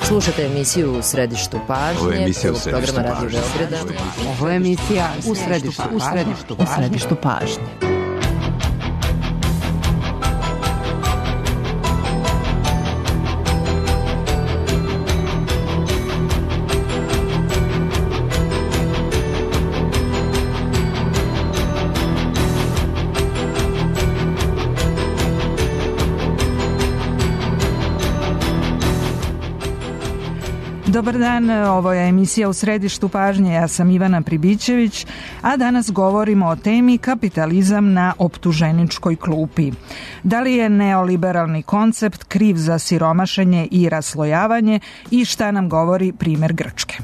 Slušate emisiju U središtu pažnje, programa Radio Beograda. Ovo je emisija U središtu pažnje. Dobar dan, ovo je emisija U središtu pažnje, ja sam Ivana Pribićević, a danas govorimo o temi kapitalizam na optuženičkoj klupi. Da li je neoliberalni koncept kriv za siromašenje i raslojavanje i šta nam govori primer Grčke?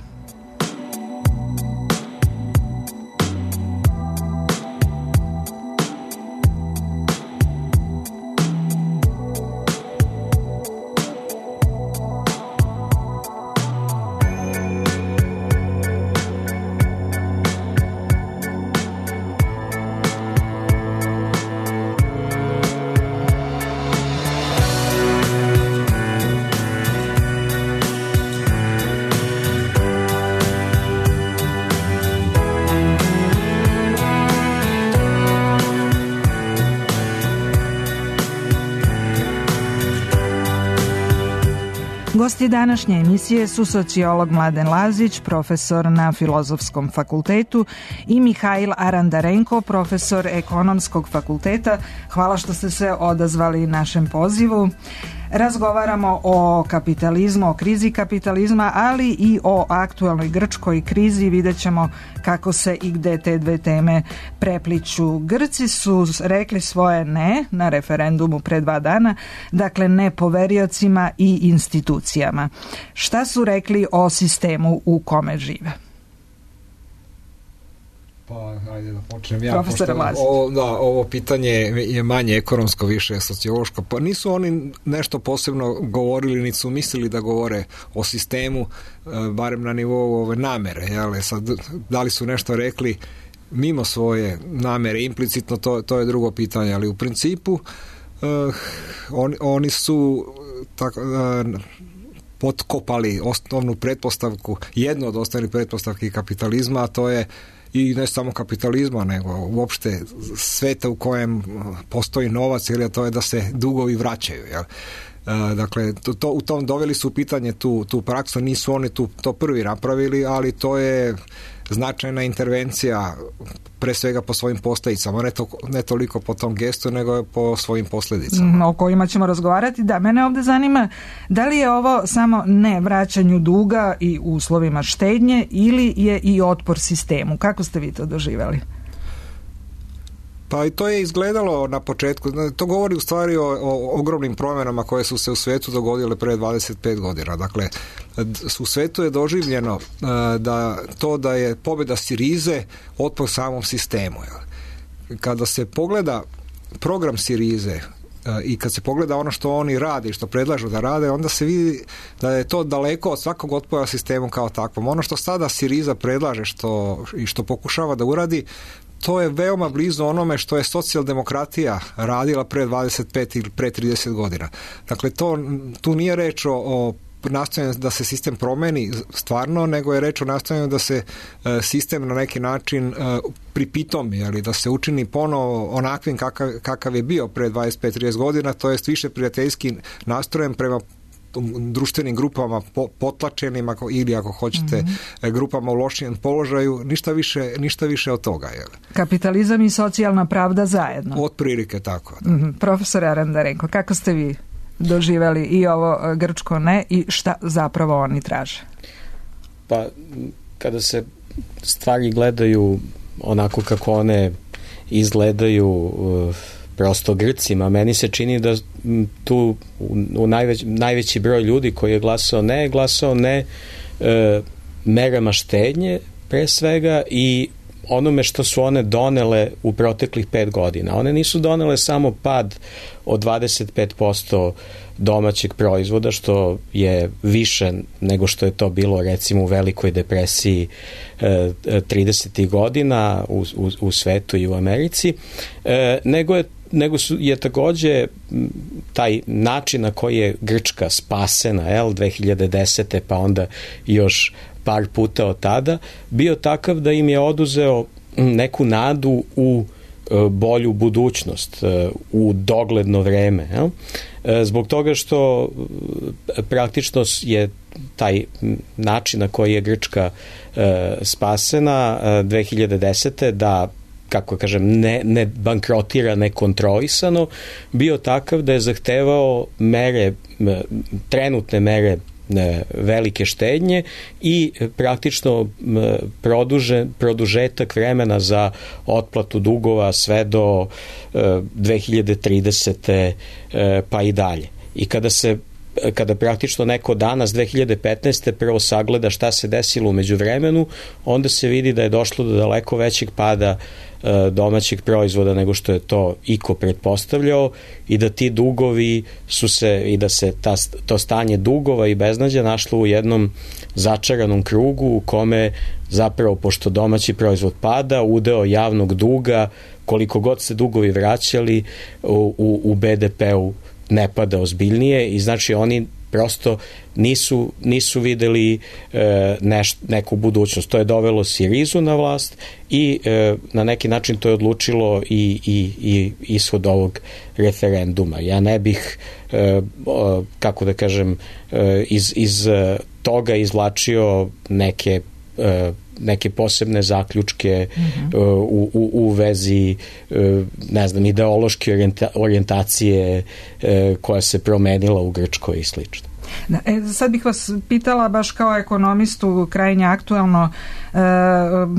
Gosti današnje emisije su sociolog Mladen Lazić, profesor na Filozofskom fakultetu, i Mihajl Arandarenko, profesor Ekonomskog fakulteta. Hvala što ste se odazvali našem pozivu. Razgovaramo o kapitalizmu, o krizi kapitalizma, ali i o aktuelnoj grčkoj krizi. Vidjet ćemo kako se i gde te dve teme prepliću. Grci su rekli svoje ne na referendumu pre 2 dana, dakle ne poveriocima i institucijama. Šta su rekli o sistemu u kome žive? Pa, ajde da počnem ja. Profesor Lazić. Ovo pitanje je manje ekonomsko, više sociološko. Pa nisu oni nešto posebno govorili, niti su mislili da govore o sistemu, barem na nivou ove namere. Jel? Sad, da li su nešto rekli mimo svoje namere, implicitno, to je drugo pitanje, ali u principu oni su potkopali osnovnu pretpostavku, jednu od osnovnih pretpostavki kapitalizma, a to je i ne samo kapitalizma, nego uopšte sveta u kojem postoji novac, ili to je da se dugovi vraćaju. Jel? Dakle, u tom doveli su u pitanje tu praksu, nisu oni to prvi napravili, ali to je značajna intervencija, pre svega po svojim posljedicama, ne toliko po tom gestu, nego po svojim posljedicama. O kojima ćemo razgovarati. Da, mene ovdje zanima da li je ovo samo ne vraćanju duga i uslovima štednje, ili je i otpor sistemu. Kako ste vi to doživjeli? Pa i to je izgledalo na početku. To govori u stvari o ogromnim promjenama koje su se u svijetu dogodile pre 25 godina. Dakle, u svijetu je doživljeno da je pobjeda Sirize otpor samom sistemu. Kada se pogleda program Sirize i kad se pogleda ono što oni rade i što predlažu da rade, onda se vidi da je to daleko od svakog otpora sistemu kao takvom. Ono što sada Siriza predlaže i što pokušava da uradi, to je veoma blizu onome što je socijaldemokratija radila pre 25 ili pre 30 godina. Dakle, tu nije reč o nastojanju da se sistem promeni stvarno, nego je reč o nastojanju da se sistem na neki način pripitomi, ali da se učini ponovo onakvim kakav je bio pre 25-30 godina, to jest više prijateljski nastrojen prema društvenim grupama potlačenim, ili ako hoćete grupama u lošijem položaju, ništa više od toga. Jel? Kapitalizam i socijalna pravda zajedno. Otprilike tako. Da. Profesor Arandarenko, kako ste vi doživjeli i ovo grčko ne i šta zapravo oni traže? Pa, kada se stvari gledaju onako kako one izgledaju prosto Grcima, meni se čini da tu najveći broj ljudi koji je glasao ne merama štednje pre svega i onome što su one donele u proteklih 5 godina. One nisu donele samo pad od 25% domaćeg proizvoda, što je više nego što je to bilo recimo u Velikoj depresiji 30. godina u svetu i u Americi, nego je je takođe taj način na koji je Grčka spasena 2010. pa onda još par puta od tada, bio takav da im je oduzeo neku nadu u bolju budućnost, u dogledno vreme. Zbog toga što praktično je taj način na koji je Grčka spasena 2010. da, kako kažem, ne bankrotira nekontrolisano, bio takav da je zahtevao trenutne mere velike štednje i praktično produžetak vremena za otplatu dugova sve do 2030. Pa i dalje. I kada praktično neko danas 2015. prvo sagleda šta se desilo u međuvremenu, onda se vidi da je došlo do daleko većeg pada domaćeg proizvoda nego što je to iko pretpostavljao i da ti dugovi i da se to stanje dugova i beznađa našlo u jednom začaranom krugu u kome zapravo, pošto domaći proizvod pada, udeo javnog duga, koliko god se dugovi vraćali u BDP-u ne pada ozbiljnije i znači oni prosto nisu videli neku budućnost. To je dovelo Sirizu na vlast i na neki način to je odlučilo i ishod ovog referenduma. Ja ne bih, kako da kažem, iz toga izvlačio neke posebne zaključke u vezi, ne znam, ideološke orijentacije koja se promenila u Grčkoj i slično. Sad bih vas pitala baš kao ekonomistu, krajnje aktuelno,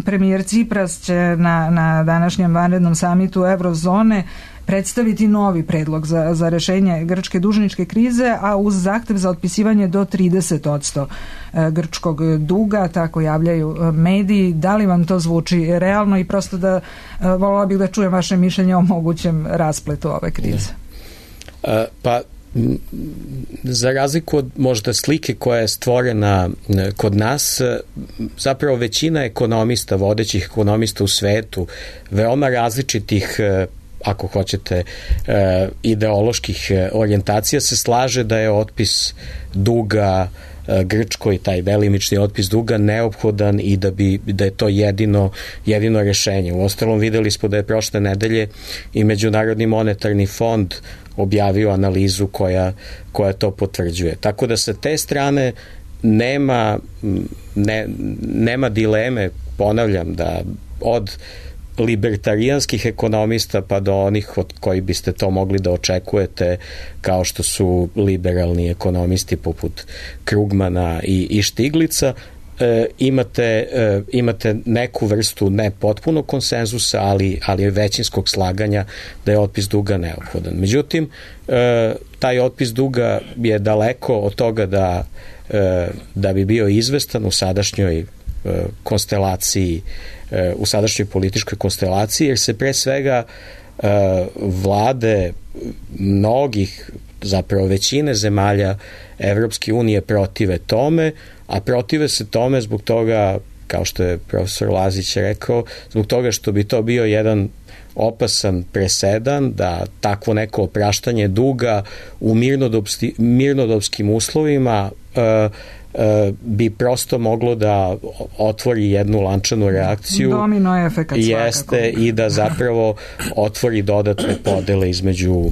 premijer Cipras će na današnjem vanrednom samitu Eurozone predstaviti novi predlog za rešenje grčke dužničke krize, a uz zahtev za otpisivanje do 30% grčkog duga, tako javljaju mediji. Da li vam to zvuči realno i prosto da voljela bih da čujem vaše mišljenje o mogućem raspletu ove krize? Pa za razliku od možda slike koja je stvorena kod nas, zapravo većina ekonomista, vodećih ekonomista u svetu, veoma različitih, ako hoćete, ideoloških orijentacija, se slaže da je otpis duga Grčkoj, taj delimični otpis duga, neophodan i da je to jedino rešenje. Uostalom, videli smo da je prošle nedelje i Međunarodni monetarni fond objavio analizu koja to potvrđuje. Tako da sa te strane nema dileme, ponavljam, da od libertarijanskih ekonomista pa do onih od koji biste to mogli da očekujete, kao što su liberalni ekonomisti poput Krugmana i Štiglica, imate neku vrstu ne potpunog konsenzusa, ali većinskog slaganja da je otpis duga neophodan. Međutim, taj otpis duga je daleko od toga da bi bio izvestan u sadašnjoj konstelaciji, u sadašnjoj političkoj konstelaciji, jer se pre svega vlade mnogih, zapravo većine zemalja Evropske unije protive tome, a protive se tome zbog toga, kao što je profesor Lazić rekao, zbog toga što bi to bio jedan opasan presedan da takvo neko opraštanje duga u mirnodopskim uslovima bi prosto moglo da otvori jednu lančanu reakciju. Domino efekat jeste i da zapravo otvori dodatne podele između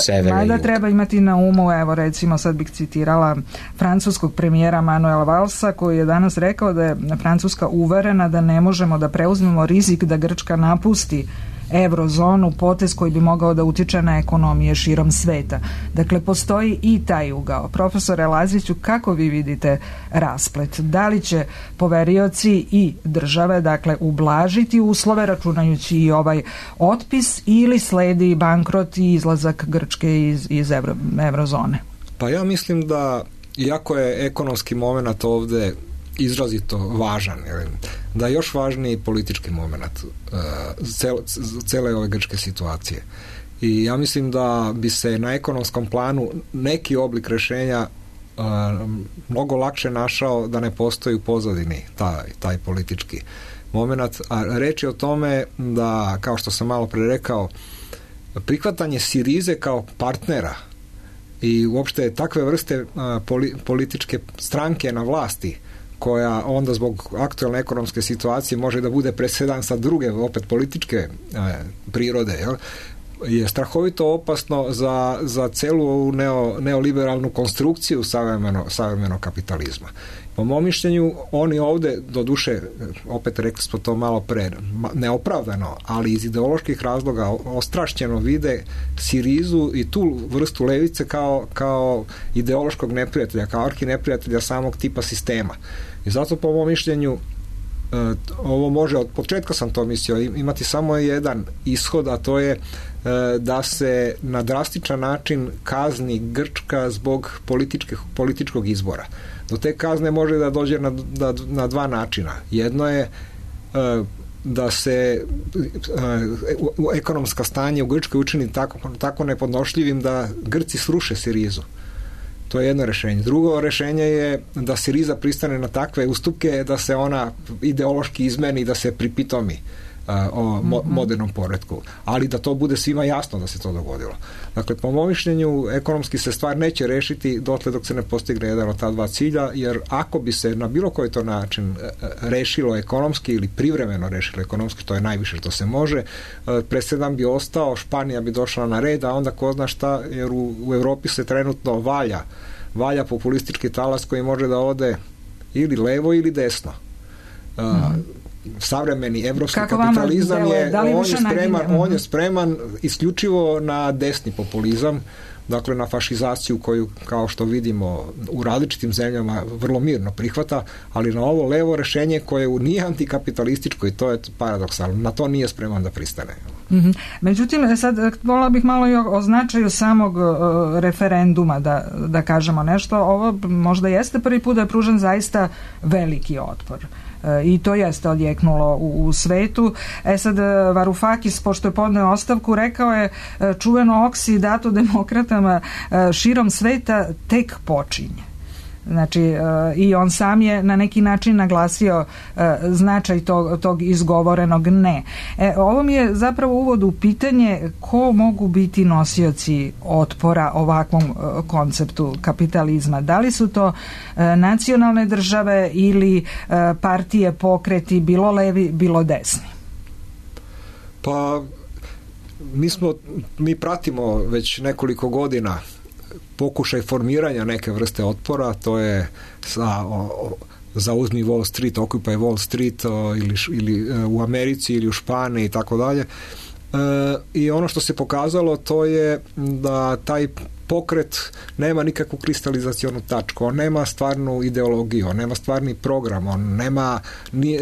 severa i juga. Mada treba imati na umu, evo recimo sad bih citirala francuskog premijera Manuela Valsa, koji je danas rekao da je Francuska uverena da ne možemo da preuzmemo rizik da Grčka napusti eurozonu, potez koji bi mogao da utiče na ekonomije širom sveta. Dakle, postoji i taj ugao. Profesore Laziću, kako vi vidite rasplet? Da li će poverioci i države, dakle, ublažiti uslove računajući i ovaj otpis, ili sledi bankrot i izlazak Grčke iz eurozone? Pa ja mislim da, iako je ekonomski moment ovde izrazito važan, da je još važniji politički moment cele ove grčke situacije. I ja mislim da bi se na ekonomskom planu neki oblik rešenja mnogo lakše našao da ne postoji u pozadini taj politički moment. A reč je o tome da, kao što sam malo pre rekao, prihvatanje Sirize kao partnera i uopšte takve vrste političke stranke na vlasti, koja onda zbog aktualne ekonomske situacije može da bude presedan sa druge, opet političke prirode, je strahovito opasno za celu neoliberalnu konstrukciju savremenog kapitalizma. Po mom mišljenju, oni ovde, doduše, opet rekli smo to malo pre, neopravdano, ali iz ideoloških razloga ostrašćeno vide Sirizu i tu vrstu levice kao ideološkog neprijatelja, kao arhineprijatelja samog tipa sistema. I zato po mom mišljenju ovo može, od početka sam to mislio, imati samo jedan ishod, a to je da se na drastičan način kazni Grčka zbog političkog izbora. Do te kazne može da dođe na dva načina. Jedno je da se ekonomska stanje u Grčkoj učini tako nepodnošljivim da Grci sruše Sirizu. To je jedno rešenje. Drugo rešenje je da Siriza pristane na takve ustupke da se ona ideološki izmeni i da se pripitomi o modernom poretku. Ali da to bude svima jasno da se to dogodilo. Dakle, po mom mišljenju, ekonomski se stvar neće rešiti dotle dok se ne postigne jedan od ta dva cilja, jer ako bi se na bilo koji to način rešilo ekonomski ili privremeno rešilo ekonomski, to je najviše što se može, presedan bi ostao, Španija bi došla na red, a onda ko zna šta, jer u Evropi se trenutno valja populistički talas koji može da ode ili levo ili desno. Savremeni evropski kapitalizam on je spreman isključivo na desni populizam, dakle na fašizaciju koju, kao što vidimo, u različitim zemljama vrlo mirno prihvata, ali na ovo levo rešenje koje nije antikapitalističko, i to je paradoksalno, na to nije spreman da pristane. Međutim, sad volila bih malo i o značaju samog referenduma da kažemo nešto. Ovo možda jeste prvi put da je pružen zaista veliki otpor. I to jeste odjeknulo u svetu. Sad Varoufakis, pošto je podneo ostavku, rekao je čuveno oksi dato demokratama širom sveta tek počinje. Znači, i on sam je na neki način naglasio značaj tog izgovorenog ne. Ovo mi je zapravo uvod u pitanje ko mogu biti nosioci otpora ovakvom konceptu kapitalizma. Da li su to nacionalne države ili partije, pokreti, bilo levi, bilo desni? Pa, mi pratimo već nekoliko godina pokušaj formiranja neke vrste otpora, to je zauzmi Wall Street, Occupy Wall Street ili u Americi ili u Španiji i tako dalje. I ono što se pokazalo, to je da taj pokret nema nikakvu kristalizacionu tačku, on nema stvarnu ideologiju, on nema stvarni program,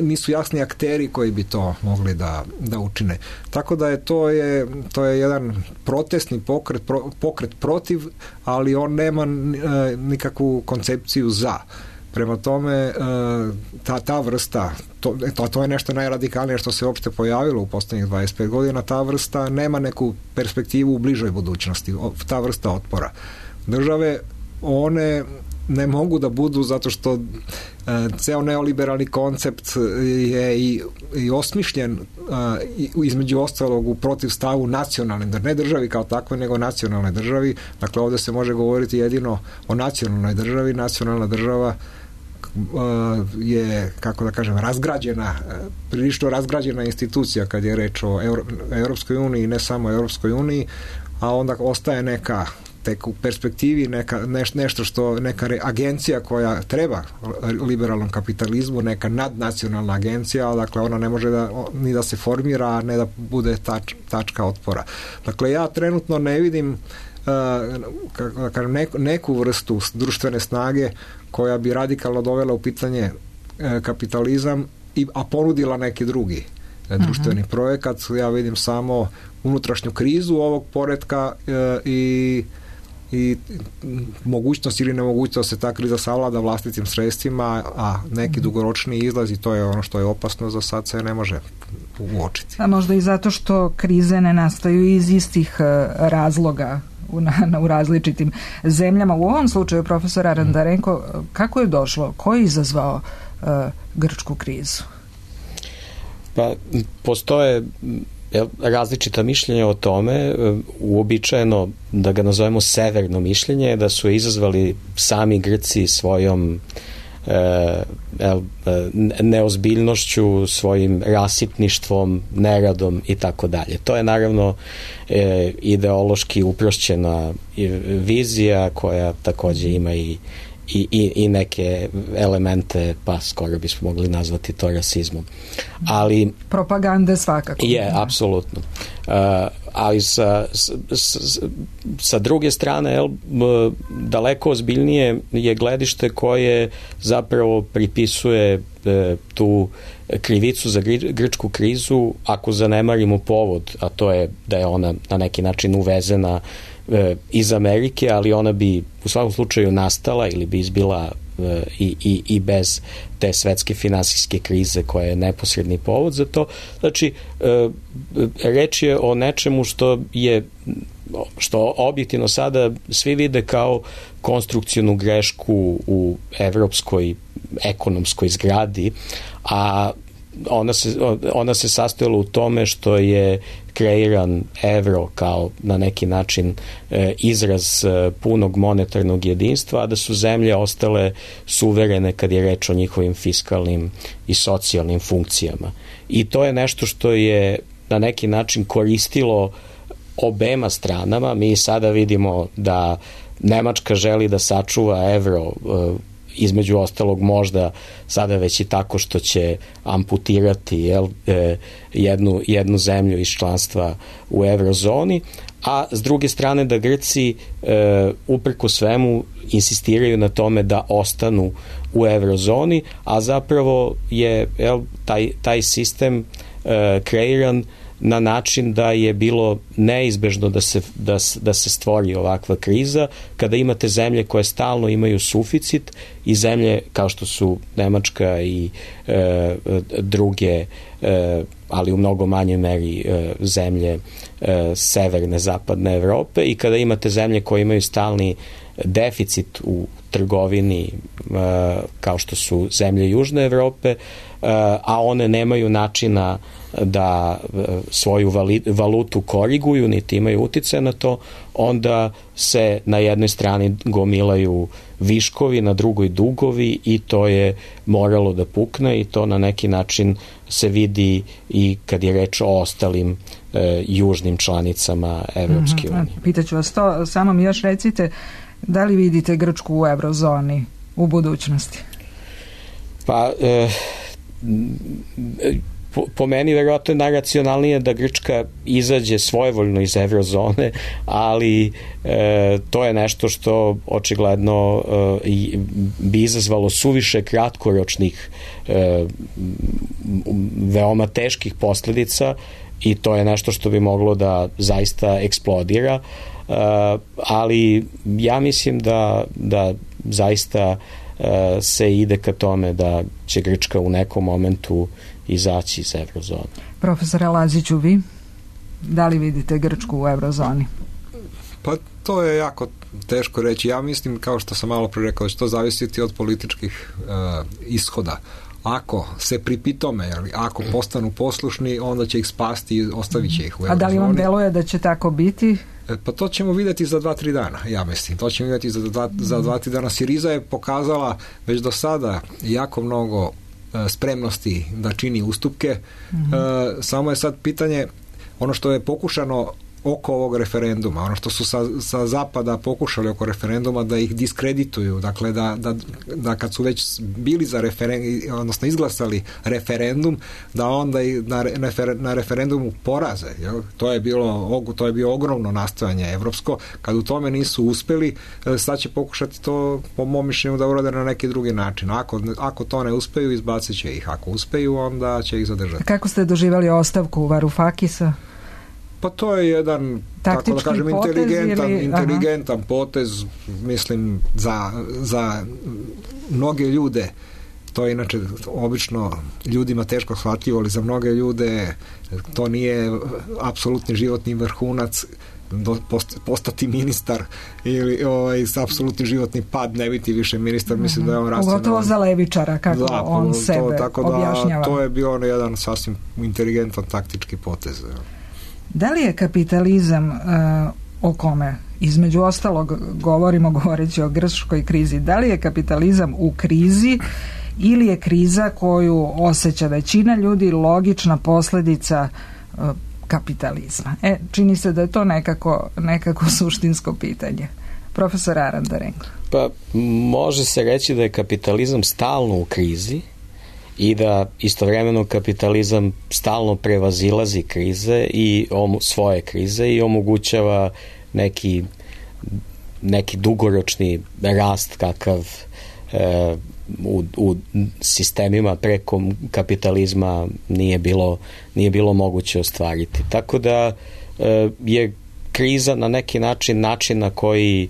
nisu jasni akteri koji bi to mogli da učine. Tako da to je jedan protestni pokret protiv, ali on nema nikakvu koncepciju za. Prema tome, ta vrsta, to je nešto najradikalnije što se uopšte pojavilo u poslednjih 25 godina, ta vrsta nema neku perspektivu u bližoj budućnosti, ta vrsta otpora. Države, one ne mogu da budu, zato što ceo neoliberalni koncept je i osmišljen između ostalog u protivstavu nacionalne, ne državi kao takve, nego nacionalne državi. Dakle, ovde se može govoriti jedino o nacionalnoj državi. Nacionalna država je, kako da kažem, prilično razgrađena institucija kad je reč o Europskoj uniji, ne samo Europskoj uniji, a onda ostaje neka tek u perspektivi neka agencija koja treba liberalnom kapitalizmu, neka nadnacionalna agencija, dakle ona ne može ni da se formira, a ne da bude tačka otpora. Dakle, ja trenutno ne vidim neku vrstu društvene snage koja bi radikalno dovela u pitanje kapitalizam, a ponudila neki drugi društveni projekat. Ja vidim samo unutrašnju krizu ovog poretka i mogućnost ili nemogućnost da se ta kriza savlada vlastitim sredstvima, a neki dugoročni izlaz, i to je ono što je opasno, za sad se ne može uočiti. A možda i zato što krize ne nastaju iz istih razloga u različitim zemljama. U ovom slučaju, profesor Arandarenko, kako je došlo? Ko je izazvao grčku krizu? Pa, postoje različita mišljenja o tome, uobičajeno da ga nazovemo severno mišljenje, da su izazvali sami Grci svojom neozbiljnošću, svojim rasipništvom, neradom i tako dalje. To je naravno ideološki uprošćena vizija koja takođe ima i neke elemente, pa skoro bismo mogli nazvati to rasizmom. Ali propagande svakako. Je, apsolutno. Ali sa druge strane, daleko ozbiljnije je gledište koje zapravo pripisuje tu krivicu za grčku krizu, ako zanemarimo povod, a to je da je ona na neki način uvezena iz Amerike, ali ona bi u svakom slučaju nastala ili bi izbila i bez te svetske finansijske krize koja je neposredni povod za to. Znači, reč je o nečemu što objektivno sada svi vide kao konstrukcijnu grešku u evropskoj ekonomskoj zgradi, a ona se sastojala u tome što je kreiran evro kao na neki način izraz punog monetarnog jedinstva, a da su zemlje ostale suverene kad je reč o njihovim fiskalnim i socijalnim funkcijama. I to je nešto što je na neki način koristilo obema stranama. Mi sada vidimo da Nemačka želi da sačuva evro, između ostalog možda sada već i tako što će amputirati jednu zemlju iz članstva u eurozoni, a s druge strane da Grci uprko svemu insistiraju na tome da ostanu u eurozoni, a zapravo je taj sistem kreiran na način da je bilo neizbežno da se stvori ovakva kriza, kada imate zemlje koje stalno imaju suficit i zemlje kao što su Nemačka i druge, ali u mnogo manjoj meri zemlje severne, zapadne Evrope, i kada imate zemlje koje imaju stalni deficit u trgovini kao što su zemlje Južne Evrope, a one nemaju načina da svoju valutu koriguju, niti imaju uticaja na to, onda se na jednoj strani gomilaju viškovi, na drugoj dugovi, i to je moralo da pukne, i to na neki način se vidi i kad je reč o ostalim južnim članicama Evropske unije. Pitaću vas to, samo mi još recite, da li vidite Grčku u eurozoni u budućnosti? Pa po meni verovatno je najracionalnije da Grčka izađe svojevoljno iz eurozone, ali to je nešto što očigledno bi izazvalo suviše kratkoročnih veoma teških posledica, i to je nešto što bi moglo da zaista eksplodira, ali ja mislim da zaista se ide ka tome da će Grčka u nekom momentu izaći iz eurozone. Profesore Laziću, vi da li vidite Grčku u eurozoni? Pa to je jako teško reći. Ja mislim, kao što sam malo pre rekao, da će to zavisiti od političkih ishoda. Ako se pripitome, ako postanu poslušni, onda će ih spasti i ostavit će ih u eurozoni. A da li vam deluje da će tako biti? Pa to ćemo vidjeti za 2-3 dana, ja mislim. To ćemo vidjeti za 2-3 dana. Siriza je pokazala već do sada jako mnogo spremnosti da čini ustupke. Samo je sad pitanje, ono što je pokušano oko ovog referenduma, ono što su sa zapada pokušali oko referenduma da ih diskredituju, dakle da kad su već bili za odnosno izglasali referendum, da onda i na referendumu poraze. Jel? To je bio ogromno nastojanje evropsko. Kad u tome nisu uspeli, sad će pokušati to, po mom mišljenju, da urade na neki drugi način. Ako to ne uspeju, izbacit će ih. Ako uspeju, onda će ih zadržati. Kako ste doživjeli ostavku Varoufakisa? Pa to je jedan, tako da kažem, inteligentan potez, mislim, za mnoge ljude. To je inače obično ljudima teško shvatljivo, ali za mnoge ljude to nije apsolutni životni vrhunac postati ministar ili apsolutni životni pad, ne biti više ministar. Mislim da je on racionalan. Pogotovo za levičara, kako on sebe objašnjava. To je bio jedan sasvim inteligentan taktički potez. Da li je kapitalizam o kome između ostalog govoreći o grčkoj krizi, da li je kapitalizam u krizi ili je kriza koju osjeća većina ljudi logična posljedica kapitalizma? Čini se da je to nekako suštinsko pitanje. Profesor Arandarenko. Pa može se reći da je kapitalizam stalno u krizi i da istovremeno kapitalizam stalno prevazilazi krize i svoje krize i omogućava neki dugoročni rast kakav u sistemima preko kapitalizma nije bilo moguće ostvariti. Tako da je kriza na neki način na koji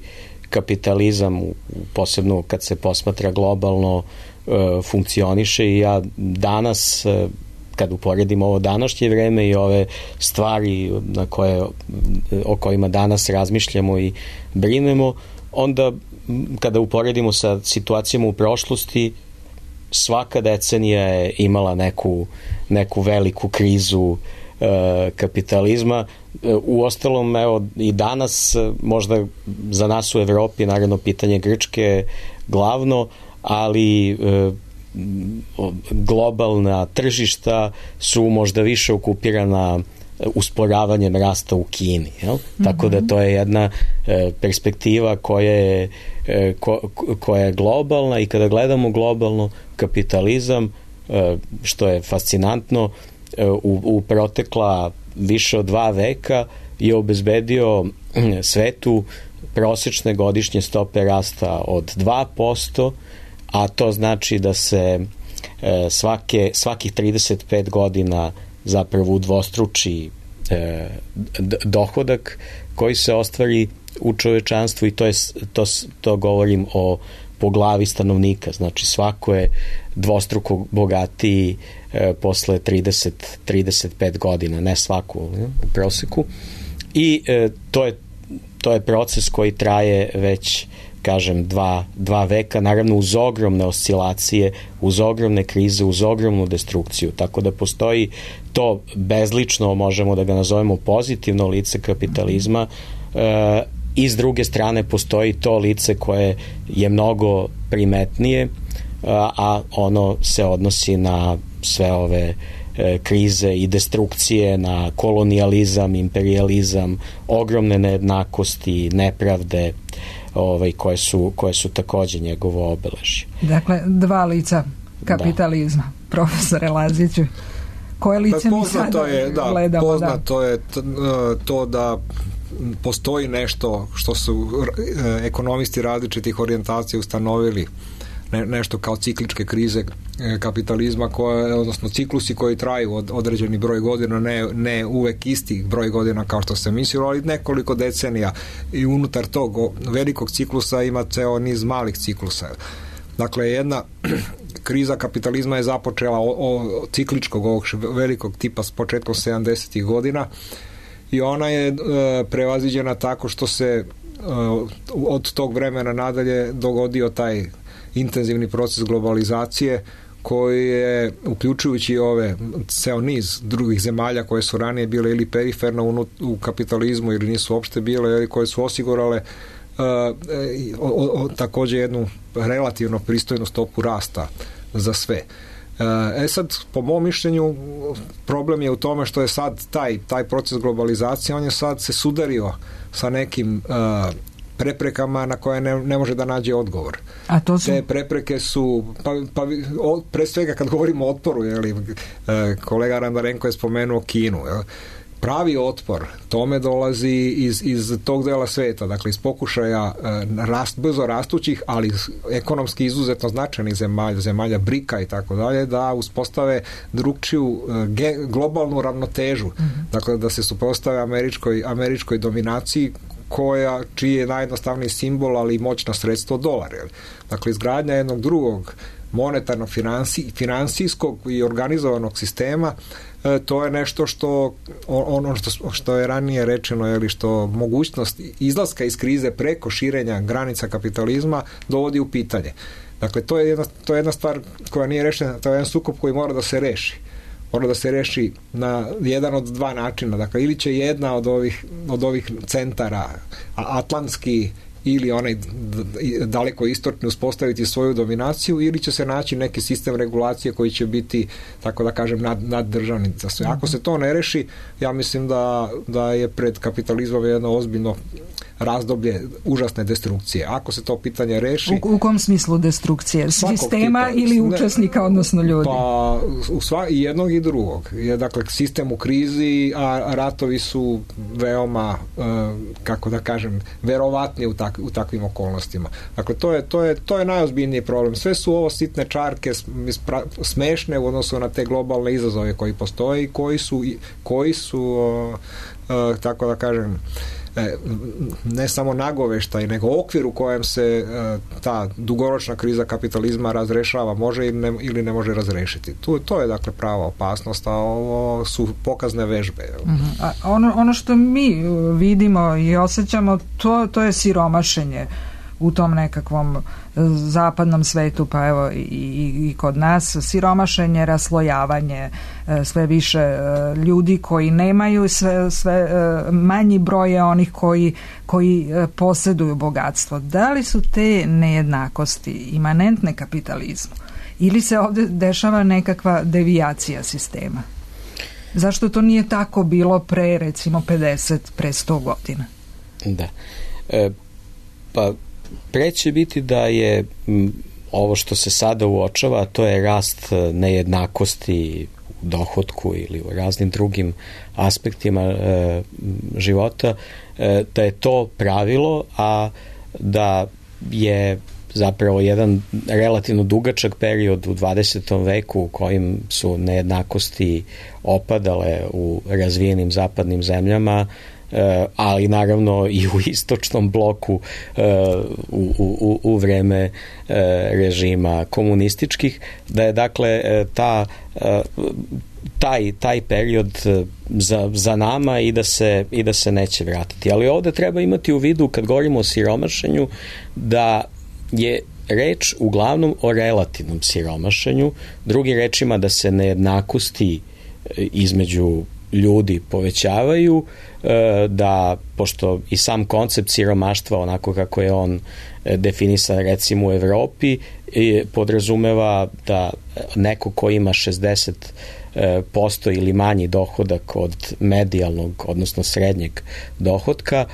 kapitalizam, posebno kad se posmatra globalno, funkcioniše. I ja danas, kad uporedim ovo današnje vreme i ove stvari o kojima danas razmišljamo i brinemo, onda kada uporedimo sa situacijama u prošlosti, svaka decenija je imala neku veliku krizu kapitalizma. Uostalom, evo i danas, možda za nas u Evropi, naravno pitanje Grčke glavno, ali globalna tržišta su možda više okupirana usporavanjem rasta u Kini. Jel? Tako da to je jedna perspektiva koja je globalna, i kada gledamo globalno, kapitalizam, što je fascinantno, u protekla više od 2 veka je obezbedio svetu prosječne godišnje stope rasta od 2%, a to znači da se svakih 35 godina zapravo udvostruči dohodak koji se ostvari u čovečanstvu, i to govorim po glavi stanovnika. Znači svako je dvostruko bogatiji posle 35 godina, ne svako u proseku. I to je proces koji traje već, kažem, dva veka, naravno uz ogromne oscilacije, uz ogromne krize, uz ogromnu destrukciju. Tako da postoji to bezlično, možemo da ga nazovemo pozitivno lice kapitalizma, i s druge strane postoji to lice koje je mnogo primetnije, a ono se odnosi na sve ove krize i destrukcije, na kolonijalizam, imperijalizam, ogromne nejednakosti, nepravde, koje su takođe njegovo obeležje. Dakle, 2 lica kapitalizma, profesore Laziću. Koje lice mi sada gledamo? Poznato je to da postoji nešto što su ekonomisti različitih orijentacija ustanovili, nešto kao cikličke krize kapitalizma, odnosno ciklusi koji traju određeni broj godina, ne uvek isti broj godina kao što se mislilo, ali nekoliko decenija, i unutar tog velikog ciklusa ima ceo niz malih ciklusa. Dakle, jedna kriza kapitalizma je započela cikličkog ovog velikog tipa s početkom 70-ih godina, i ona je prevaziđena tako što se od tog vremena nadalje dogodio taj intenzivni proces globalizacije, koji je, uključujući ceo niz drugih zemalja koje su ranije bile ili periferno u kapitalizmu ili nisu uopšte bile, ili koje su osigurale takođe jednu relativno pristojnu stopu rasta za sve. Sad, po mom mišljenju, problem je u tome što je sad taj proces globalizacije, on je sad se sudario sa nekim preprekama na koje ne može da nađe odgovor. A to su? Te prepreke su, pre svega kad govorimo o otporu, kolega Arandarenko je spomenuo Kinu, pravi otpor tome dolazi iz tog dela sveta, dakle iz pokušaja brzo rastućih, ali ekonomski izuzetno značajnih zemalja BRIK-a i tako dalje, da uspostave drugčiju globalnu ravnotežu, dakle da se suprotstave američkoj dominaciji, čiji je najjednostavniji simbol, ali i moćno sredstvo dolar. Dakle, izgradnja jednog drugog monetarnog, finansijskog i organizovanog sistema, to je nešto što je ranije rečeno, što mogućnost izlaska iz krize preko širenja granica kapitalizma dovodi u pitanje. Dakle, to je jedna stvar koja nije rešena, to je jedan sukob koji mora da se reši. mora da se reši na jedan od dva načina. Dakle, ili će jedna od ovih centara, atlantski ili onaj daleko istočni, uspostaviti svoju dominaciju, ili će se naći neki sistem regulacije koji će biti, tako da kažem, naddržavni za sve. Ako se to ne reši, ja mislim da je pred kapitalizmom jedno ozbiljno razdoblje užasne destrukcije. Ako se to pitanje reši... U kom smislu destrukcije? Sistema ili učesnika, odnosno ljudi? Pa i jednog i drugog. Dakle, sistem u krizi, a ratovi su veoma, kako da kažem, verovatni u takvim okolnostima. Dakle, to je najozbiljniji problem. Sve su ovo sitne čarke smešne u odnosu na te globalne izazove koji postoje i koji su tako da kažem, ne samo nagoveštaj, nego okvir u kojem se ta dugoročna kriza kapitalizma razrešava, može ili ne može razrešiti. To je dakle prava opasnost, a ovo su pokazne vežbe. A ono što mi vidimo i osjećamo, to je siromašenje u tom nekakvom zapadnom svetu, pa evo i kod nas, siromašenje, raslojavanje, sve više ljudi koji nemaju, sve manji broj je onih koji posjeduju bogatstvo. Da li su te nejednakosti imanentne kapitalizmu ili se ovdje dešava nekakva devijacija sistema? Zašto to nije tako bilo pre recimo 50, pre 100 godina? Da. Pa pre će biti da je ovo što se sada uočava, to je rast nejednakosti u dohotku ili u raznim drugim aspektima života, da je to pravilo, a da je zapravo jedan relativno dugačak period u 20. veku u kojim su nejednakosti opadale u razvijenim zapadnim zemljama, ali naravno i u istočnom bloku u vreme režima komunističkih, da je dakle taj period za nama i da se neće vratiti. Ali ovdje treba imati u vidu, kad govorimo o siromašenju, da je reč uglavnom o relativnom siromašenju, drugim rečima da se nejednakosti između ljudi povećavaju, da, pošto i sam koncept siromaštva, onako kako je on definisan recimo u Evropi, podrazumeva da neko ko ima 60% ili manji dohodak od medijalnog, odnosno srednjeg dohotka,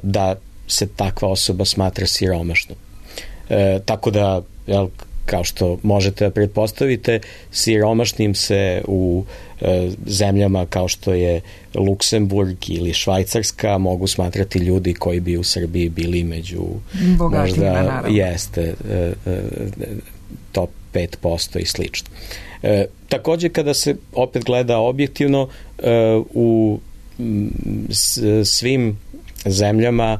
da se takva osoba smatra siromašnom. Tako da, kao što možete da pretpostavite, siromašnim se u zemljama kao što je Luksemburg ili Švajcarska mogu smatrati ljudi koji bi u Srbiji bili među bogatima, naravno. Jeste top 5% i slično. Također, kada se opet gleda objektivno, u svim zemljama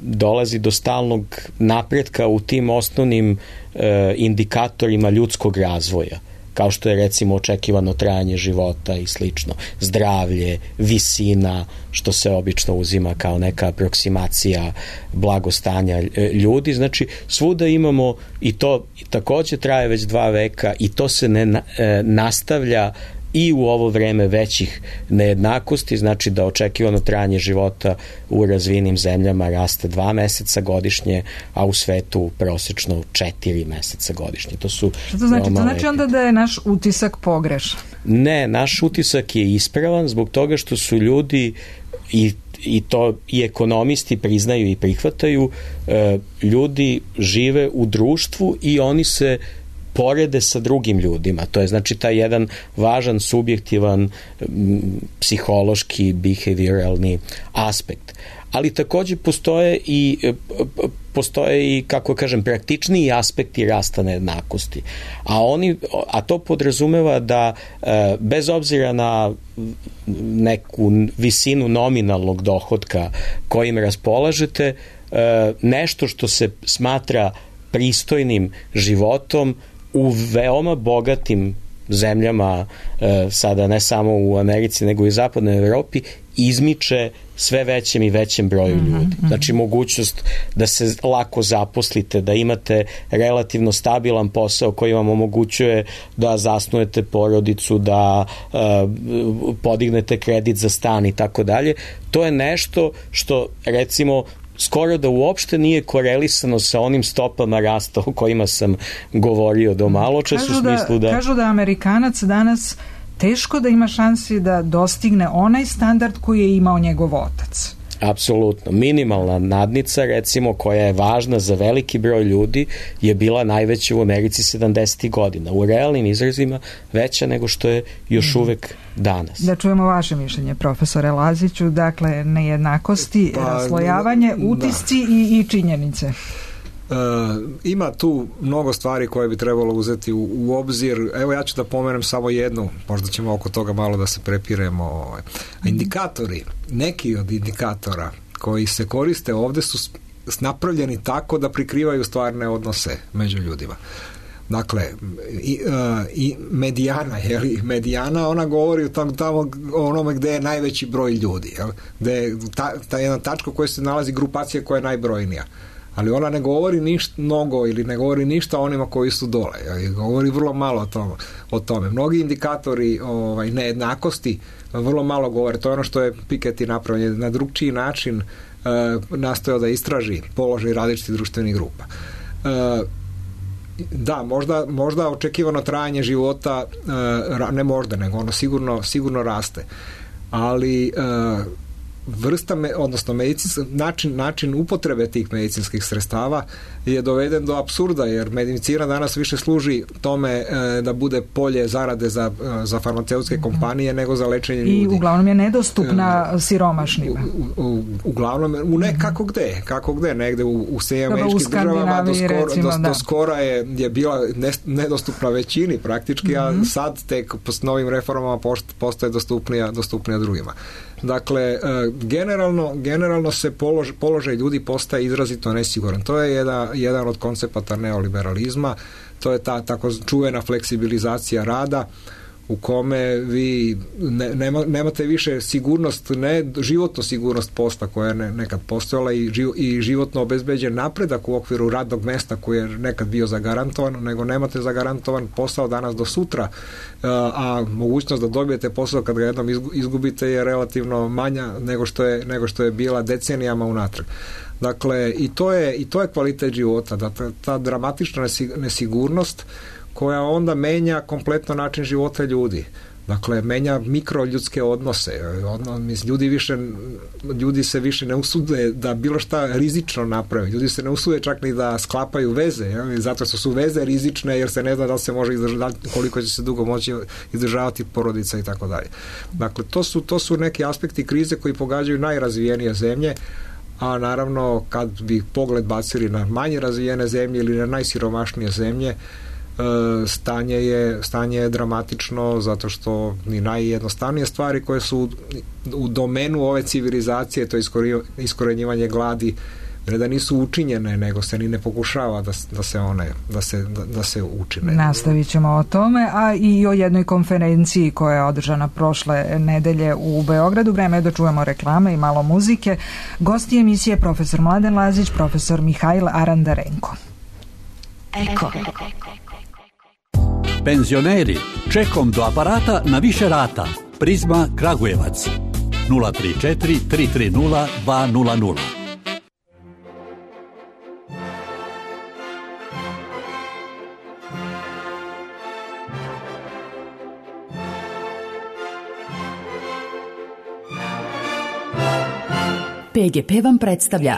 dolazi do stalnog napretka u tim osnovnim indikatorima ljudskog razvoja, kao što je recimo očekivano trajanje života i slično, zdravlje, visina, što se obično uzima kao neka aproksimacija blagostanja ljudi. Znači, svuda imamo, i to također traje već 2 veka, i to se ne nastavlja i u ovo vreme većih nejednakosti, znači da očekivano trajanje života u razvijenim zemljama raste 2 meseca godišnje, a u svetu prosečno 4 meseca godišnje. To su što to znači? To znači onda da je naš utisak pogrešan? Ne, naš utisak je ispravan zbog toga što su ljudi, i to i ekonomisti priznaju i prihvataju, ljudi žive u društvu i oni se porede sa drugim ljudima. To je znači taj jedan važan subjektivan psihološki, behavioralni aspekt. Ali također postoje i, kako kažem, praktičniji aspekti rasta nejednakosti. A to podrazumeva da bez obzira na neku visinu nominalnog dohotka kojim raspolažete, nešto što se smatra pristojnim životom u veoma bogatim zemljama, sada ne samo u Americi nego i u zapadnoj Evropi, izmiče sve većem i većem broju ljudi. Znači mogućnost da se lako zaposlite, da imate relativno stabilan posao koji vam omogućuje da zasnujete porodicu, da podignete kredit za stan i tako dalje. To je nešto što recimo skoro da uopšte nije korelisano sa onim stopama rasta o kojima sam govorio do maločas, u smislu da... Kažu da Amerikanac danas teško da ima šansi da dostigne onaj standard koji je imao njegov otac. Apsolutno. Minimalna nadnica, recimo, koja je važna za veliki broj ljudi, je bila najveća u Americi 70. godina. U realnim izrazima veća nego što je još uvek danas. Da čujemo vaše mišljenje, profesore Laziću. Dakle, nejednakosti, raslojavanje, utisci i činjenice. Ima tu mnogo stvari koje bi trebalo uzeti u obzir. Evo ja ću da pomenem samo jednu, možda ćemo oko toga malo da se prepiremo. Indikatori, neki od indikatora koji se koriste ovde su napravljeni tako da prikrivaju stvarne odnose među ljudima. Dakle, i medijana, ona govori tamo o onome gde je najveći broj ljudi, gde je ta jedna tačka u kojoj se nalazi grupacija koja je najbrojnija. Ali ona ne govori ništa mnogo ili ne govori ništa o onima koji su dole. Govori vrlo malo o tome. Mnogi indikatori nejednakosti vrlo malo govore. To je ono što je Piketty napravio. Na drugčiji način nastojao da istraži položaj različitih društvenih grupa. Da, možda očekivano trajanje života, ne možda, nego ono sigurno raste. Ali odnosno način upotrebe tih medicinskih sredstava je doveden do apsurda, jer medicina danas više služi tome da bude polje zarade za farmaceutske kompanije nego za lečenje ljudi. I uglavnom je nedostupna siromašnima. Uglavnom, kako gde, negde u Sjedinjenim državama do skora je bila nedostupna većini praktički, a sad tek s novim reformama postaje dostupnija drugima. Dakle, generalno se položaj ljudi postaje izrazito nesiguran. To je jedan od koncepata neoliberalizma, to je ta tako čuvena fleksibilizacija rada u kome vi nemate više sigurnost, ne životnu sigurnost posla koja je nekad postojala i životno obezbeđen napredak u okviru radnog mesta koji je nekad bio zagarantovan, nego nemate zagarantovan posao danas do sutra, a mogućnost da dobijete posao kad ga jednom izgubite je relativno manja nego što je bila decenijama unatrag. Dakle, i to je kvalitet života, da ta dramatična nesigurnost koja onda menja kompletno način života ljudi. Dakle, menja mikroljudske odnose. Ljudi se više ne usude da bilo šta rizično naprave. Ljudi se ne usude čak ni da sklapaju veze, zato što su veze rizične jer se ne zna da li se može izdržati, koliko će se dugo moći izdržavati porodica i tako dalje. Dakle, to su neki aspekti krize koji pogađaju najrazvijenije zemlje, a naravno kad bi pogled bacili na manje razvijene zemlje ili na najsiromašnije zemlje, stanje je dramatično, zato što ni najjednostavnije stvari koje su u domenu ove civilizacije, to je iskorenjivanje gladi, ne da nisu učinjene, nego se ni ne pokušava da se učine. Nastavit ćemo o tome, a i o jednoj konferenciji koja je održana prošle nedelje u Beogradu. Vreme je da čujemo reklame i malo muzike. Gosti emisije profesor Mladen Lazić, profesor Mihail Arandarenko. Eko. Penzioneri, čekom do aparata na više rata. Prizma Kragujevac 034 330 200. PGP vam predstavlja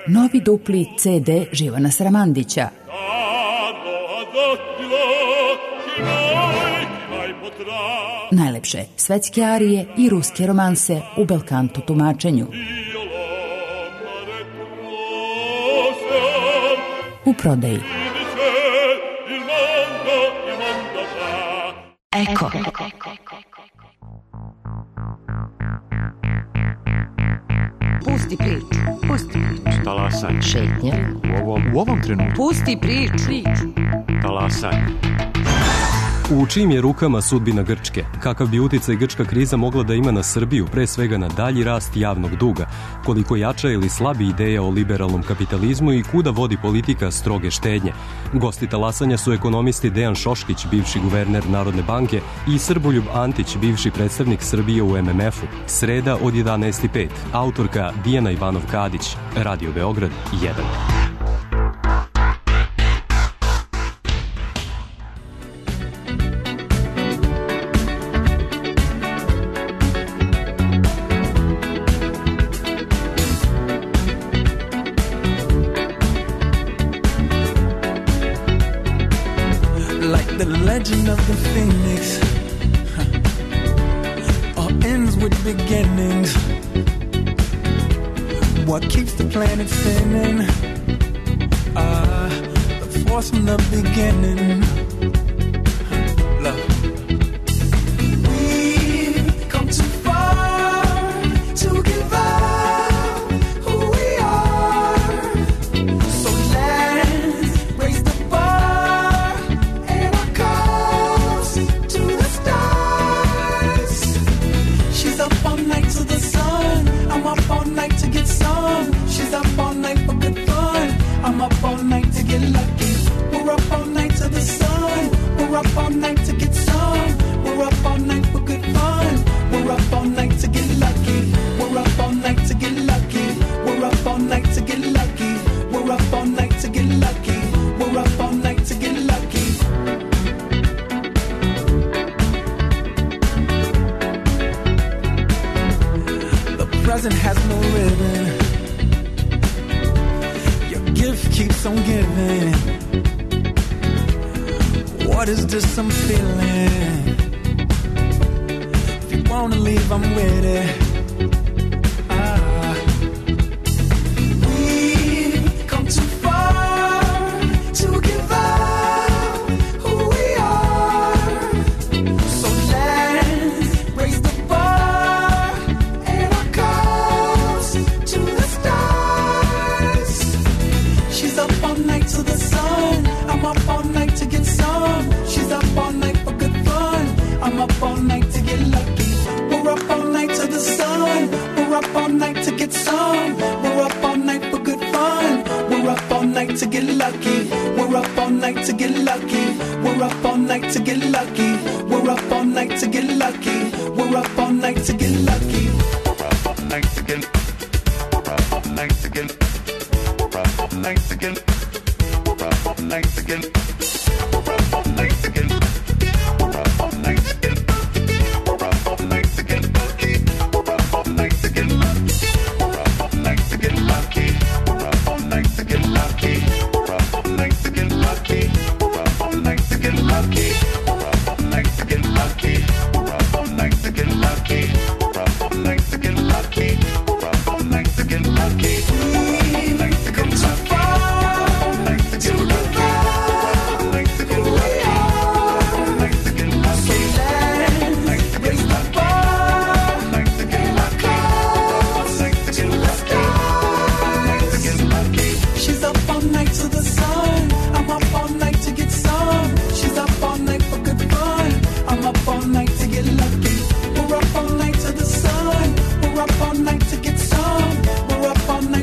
novi dupli CD Živana Sramandića. Najlepše svetske arije i ruske romanse u belkanto tumačenju. U prodaji. Eko. Pusti priču. Talasanje. Šetnja. U ovom trenutku. Pusti priču. Talasanje. U čijim je rukama sudbina Grčke? Kakav bi uticaj grčka kriza mogla da ima na Srbiju, pre svega na dalji rast javnog duga? Koliko jača ili slabi ideja o liberalnom kapitalizmu i kuda vodi politika stroge štednje? Gosti talasanja su ekonomisti Dejan Šoškić, bivši guverner Narodne banke, i Srboljub Antić, bivši predstavnik Srbije u MMF-u. Sreda od 11:05. Autorka Dijana Ivanov-Kadić. Radio Beograd 1. Legend of the Phoenix, all ends with beginnings. What keeps the planet spinning? The force from the beginning. Love. We've come too far to give up who we are. So let's raise the bar and our cups to the stars. She's up all night to the sun. I'm up all night to get some. She's up all night for good fun. I'm up all night to get lucky. We're up all night to the sun. We're up all night to get some. We're up all night for good fun. We're up all night to get lucky. We're up all night to get lucky. We're up all night to get lucky. We're up all night to get lucky. We're up all night to get lucky. The present has no ribbon. Your gift keeps on giving. What is this I'm feeling? If you wanna leave, I'm with it. We've come too far to give up who we are. So let's raise the bar and our cups to the stars. She's up all night to the sun. I'm up all night to get some. She's up all night for good fun. I'm up all night to get lucky. We're up all night to the sun. We're up all night to get some. We're up all night for good fun. We're up all night to get lucky. We're up all night to get lucky. We're up all night to get lucky. We're up all night to get lucky. We're up all night to get lucky. We're up all night to get. We're up all night to get. We're up all night to get. We're up all night to get. We're up all night to get. We're up all night to get. We're up all night to get lucky. We're up all night to get lucky. We're up all night to get lucky. We're up all night to get lucky. We're up all night to get lucky. We're up all night to get lucky. We're up all night to get lucky. We're up all night to get lucky. We're up all night to get lucky. We're up all night to get lucky. We've come too far to give up who we are. So let's raise the bar and our cups to the stars. She's up all night to the sun. I'm up all night to get some. She's up all night for good fun. I'm up all night to get lucky. We're up all night to the sun. We're up all night to get some. We're up all night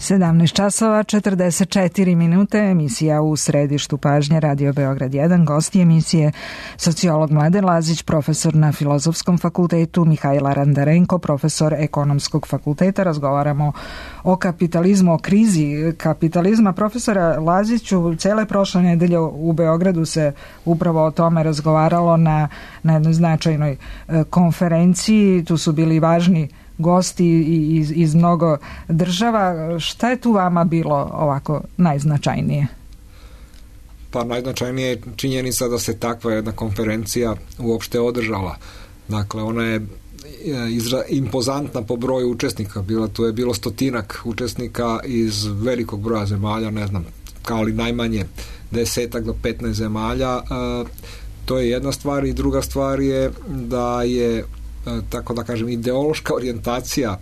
17 časova 44 minute, emisija U središtu pažnje, Radio Beograd 1, gosti emisije sociolog Mladen Lazić, profesor na Filozofskom fakultetu, Mihajl Arandarenko, profesor Ekonomskog fakulteta. Razgovaramo o kapitalizmu, o krizi kapitalizma. Profesora Laziću, cele prošle nedelje u Beogradu se upravo o tome razgovaralo na jednoj značajnoj konferenciji. Tu su bili važni gosti iz mnogo država. Šta je tu vama bilo ovako najznačajnije? Pa najznačajnije je činjenica da se takva jedna konferencija uopšte održala. Dakle, ona je impozantna po broju učesnika. Tu je bilo 100 učesnika iz velikog broja zemalja, ne znam, kao li najmanje 10 do 15 zemalja. To je jedna stvar i druga stvar je da je, tako da kažem, ideološka orijentacija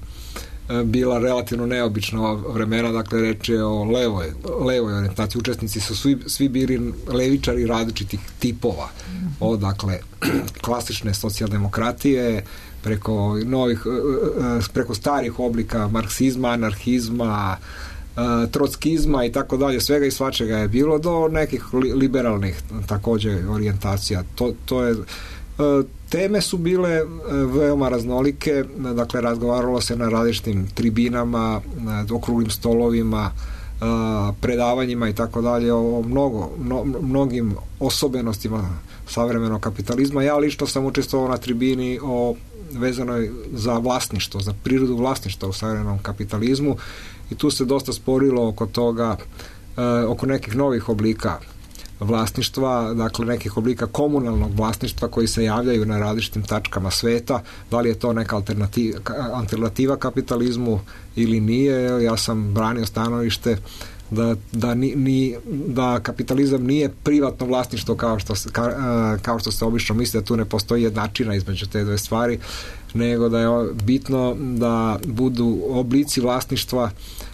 bila relativno neobična ova vremena, dakle reč je o levoj orijentaciji. Učesnici su svi bili levičari različitih tipova, od dakle klasične socijaldemokratije preko starih oblika marksizma, anarhizma, trockizma i tako dalje, svega i svačega je bilo, do nekih liberalnih također orijentacija. To je teme su bile veoma raznolike, dakle razgovaralo se na različitim tribinama, okruglim stolovima, predavanjima i tako dalje o mnogim osobenostima savremenog kapitalizma. Ja lično sam učestvovao na tribini vezanoj za vlasništvo, za prirodu vlasništva u savremenom kapitalizmu i tu se dosta sporilo oko toga, oko nekih novih oblika vlasništva, dakle nekih oblika komunalnog vlasništva koji se javljaju na različitim tačkama sveta. Da li je to neka alternativa kapitalizmu ili nije? Ja sam branio stanovište da kapitalizam nije privatno vlasništvo kao što se obično misli, da tu ne postoji jednačina između te dve stvari, nego da je bitno da budu oblici vlasništva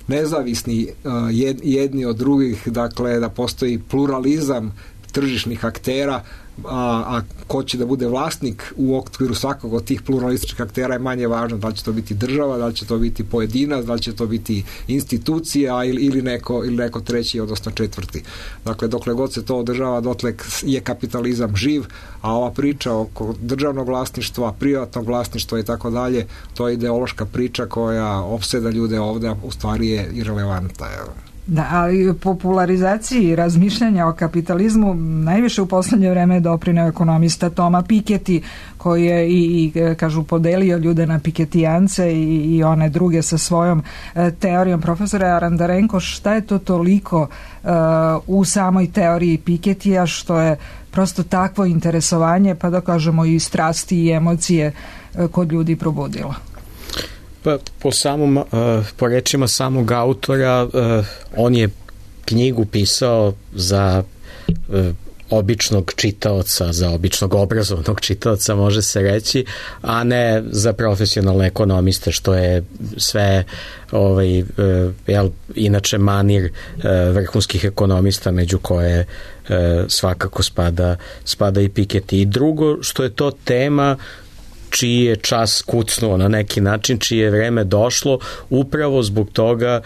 nezavisni jedni od drugih, dakle da postoji pluralizam tržišnih aktera, a ko će da bude vlasnik u okviru svakog od tih pluralističkih aktera je manje važno. Da li će to biti država, da li će to biti pojedinac, da li će to biti institucija ili neko treći, odnosno četvrti. Dakle, dokle god se to održava, dotle je kapitalizam živ, a ova priča oko državnog vlasništva, privatnog vlasništva i tako dalje, to je ideološka priča koja opseda ljude ovde, u stvari je irelevantna. Da, ali popularizaciji razmišljanja o kapitalizmu najviše u poslednje vreme doprineo ekonomista Toma Piketty, koji je i kažu podelio ljude na piketijance i one druge sa svojom teorijom. Profesore Arandarenko, šta je to toliko u samoj teoriji Pikettyja što je prosto takvo interesovanje, pa da kažemo i strasti i emocije kod ljudi probudilo? Pa po rečima samog autora, on je knjigu pisao za običnog čitaoca, za običnog obrazovnog čitaoca, može se reći, a ne za profesionalne ekonomiste, što je sve inače manir vrhunskih ekonomista, među koje svakako spada i Piketty. I drugo, što je to tema čiji je čas kucnuo na neki način, čije je vreme došlo, upravo zbog toga,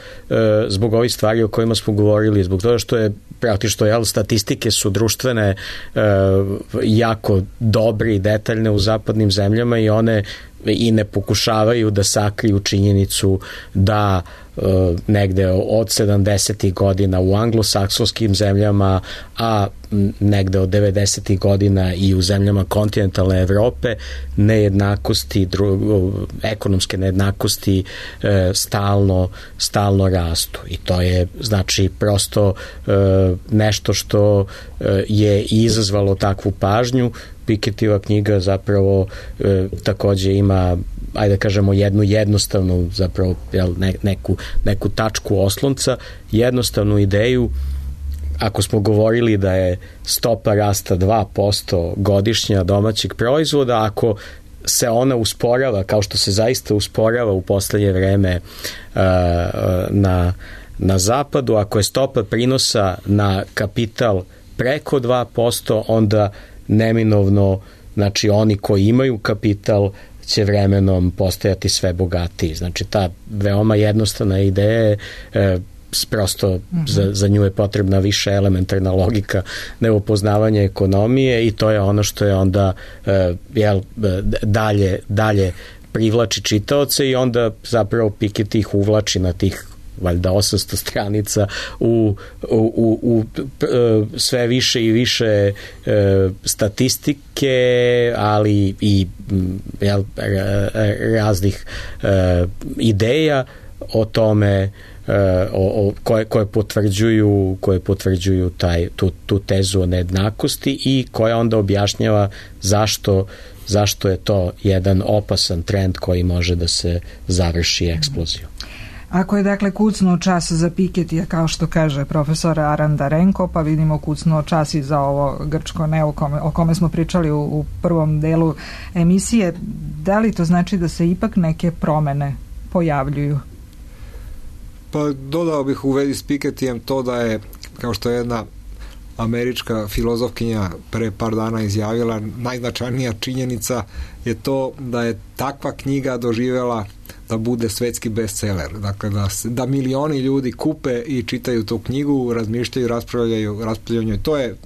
zbog ovih stvari o kojima smo govorili, zbog toga što je praktično, statistike su društvene jako dobre i detaljne u zapadnim zemljama i one i ne pokušavaju da sakriju činjenicu da negde od 70. godina u anglosaksonskim zemljama, a negde od 90. godina i u zemljama kontinentalne Evrope nejednakosti, ekonomske nejednakosti stalno rastu. I to je znači prosto nešto što je izazvalo takvu pažnju. Pikettyjeva knjiga zapravo takođe ima, ajde da kažemo, jednu jednostavnu zapravo neku tačku oslonca, jednostavnu ideju. Ako smo govorili da je stopa rasta 2% godišnja domaćeg proizvoda, ako se ona usporava kao što se zaista usporava u poslednje vreme na zapadu, ako je stopa prinosa na kapital preko 2%, onda neminovno, znači oni koji imaju kapital će vremenom postajati sve bogatiji. Znači ta veoma jednostavna ideja je prosto za nju je potrebna više elementarna logika nego poznavanje ekonomije i to je ono što je onda dalje privlači čitaoce i onda zapravo Piketty ih uvlači na tih valjda 800 stranica u sve više i više statistike, ali i raznih ideja o tome koje potvrđuju tu tezu o nejednakosti i koja onda objašnjava zašto je to jedan opasan trend koji može da se završi eksplozijom. Ako je dakle kucnuo čas za Pikettyja, kao što kaže profesor Arandarenko, pa vidimo kucnuo čas i za ovo grčko ne o kome smo pričali u prvom delu emisije, da li to znači da se ipak neke promene pojavljuju? Pa dodao bih u vezi s Pikettyjem to da je, kao što je jedna američka filozofkinja pre par dana izjavila, najznačajnija činjenica je to da je takva knjiga doživjela da bude svetski bestseller. Dakle, da milioni ljudi kupe i čitaju tu knjigu, razmišljaju, raspravljaju.